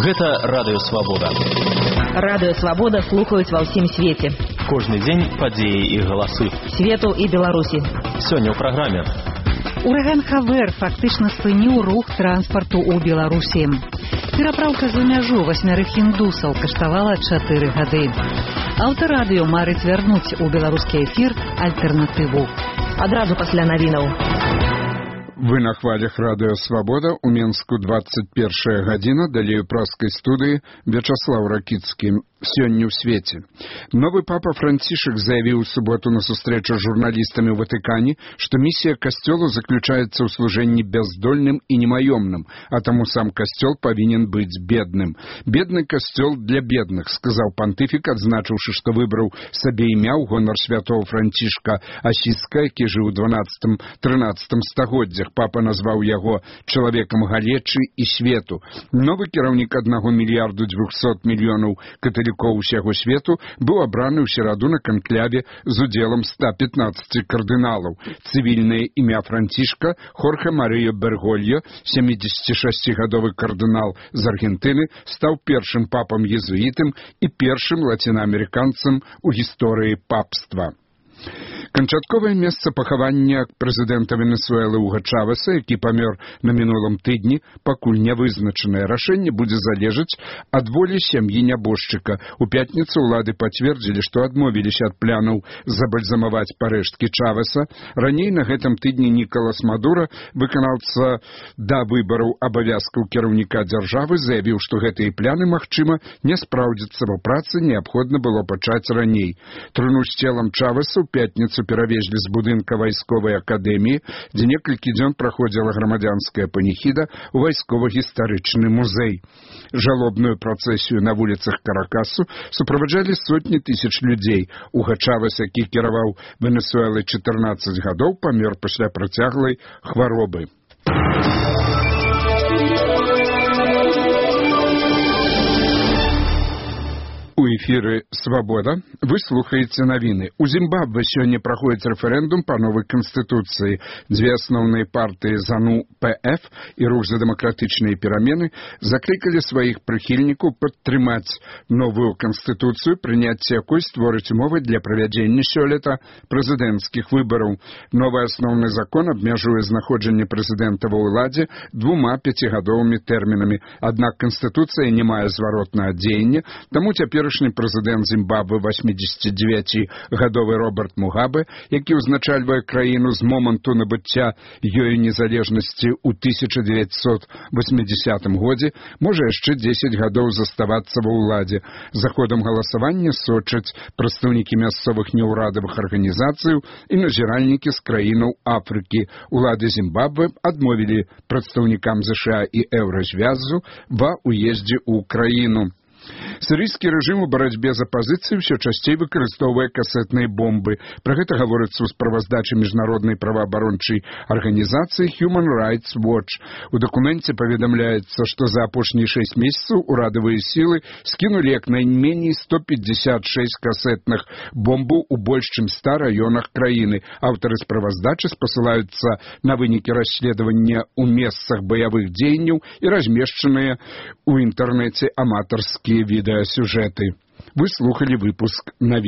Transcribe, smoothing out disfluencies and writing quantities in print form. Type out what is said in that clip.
Гэта Радыё Свабода. Радыё Свабода слухаюць ва ўсім свеце. Кожны дзень падзеі і галасы. Свету і Беларусі. Сёння ў праграме. Ураган Хавер фактычна спыніў рух транспарту ў Беларусі. Перапраўка за мяжу 8 індусаў каштавала 4 гады. Аўтарадыё марыць вярнуць у беларускі эфір альтэрнатыву. Адразу пасля навінаў. Вы на хвалях Радыё Свабода, у Менску 21 гадзіна, далей у праскай студыі Вячаслаў Ракіцкі. Сёння ў свеце. Новы папа Францішак заявіў у суботу на сустрэчу з журналістамі ў Ватыкане, што місія касцёлу заключаецца ў служэнні бяздольным і немаёмным, а таму сам касцёл павінен быць бедным. Бедны касцёл для бедных, сказаў пантыфік, адзначыўшы, што выбраў сабе імя ў гонар святого Францішка Асіска, які жыў у 12-13 стагоддзях. Папа назваў яго чалавекам галечы і свету. Новы кіраўнік 1 мільярду 200 мільёнаў каталікоў усяго свету быў абраны ў сераду на канкляве з удзелам 115 кардыналаў. Цывільнае імя Францішка Хорхе Марыё Бергольо, 76-гадовы кардынал з Аргентыны, стаў першым папам-езуітам і першым лацінаамерыканцам у гісторыі папства. Канчатковае месца пахавання прэзідэнта Венесуэлы Уга Чавеса, які памёр на мінулым тыдні, пакуль не вызначанае. Рашэнне будзе залежаць ад волі сям'і нябожчыка. У пятніцу ўлады пацвердзілі, што адмовіліся ад планаў забальзамаваць парэшткі Чавеса. Раней на гэтым тыдні Нікалас Мадура, выканаўца да выбараў абавязкаў кіраўніка дзяржавы, заявіў, што гэтыя пляны, магчыма, не спраўдзяцца, бо працы неабходна было пачаць раней. Труну з целам Чавеса ў пятніцу перавезлі з будынка вайсковай акадэміі, дзе некалькі дзён праходзіла грамадзянская паніхіда ў вайскова-гістарычны музей. Жалобную працэсію на вуліцах Каракасу суправаджалі сотні тысяч людзей. Уга Чавес, які кіраваў Венесуэлай 14 гадоў, памёр пасля працяглай хваробы. У эфіры «Свабода» вы слухаеце навіны. У Зімбабве сёння праходзіць рэферэндум па новай канстытуцыі. Дзве асноўныя партыі ЗАНУ-ПФ і рух за дэмакратычныя перамены заклікалі сваіх прыхільнікаў падтрымаць новую канстытуцыю, прыняцце якой створыць умовы для правядзення сёлета прэзідэнцкіх выбараў. Новы асноўны закон абмяжуе знаходжанне прэзідэнта ва ўладзе 2 5-гадовымі тэрмінамі. Аднак канстытуцыя не мае зваротнага дзеяння, таму цяпер прэзідэнт Зімбабве 89-гадовы Роберт Мугабе, які ўзначальвае краіну з моманту набыцця ёю незалежнасці ў 1980 годзе, можа яшчэ 10 гадоў заставацца ва ўладзе. За ходам галасавання сочаць прадстаўнікі мясцовых неўрадавых арганізацыяў і назіральнікі з краінаў Афрыкі. Улады Зімбабве адмовілі прадстаўнікам ЗША і Еўразвязу ва ўездзе ў краіну. Сірыйскі рэжым у барацьбе з апазіцыяй усё часцей выкарыстоўвае касетныя бомбы. Пра гэта гаворыцца ў справаздачы міжнароднай праваабарончай арганізацыі Human Rights Watch. У дакуменце паведамляецца, што за апошнія 6 месяцаў урадавыя сілы скінулі як найменей 156 касетных бомбаў у больш чым 100 раёнах краіны. Аўтары справаздачы спасылаюцца на вынікі расследавання ў месцах баявых дзеянняў і размешчаныя ў інтэрнэце аматарскія відэасюжэты. Вы слухали выпуск навін.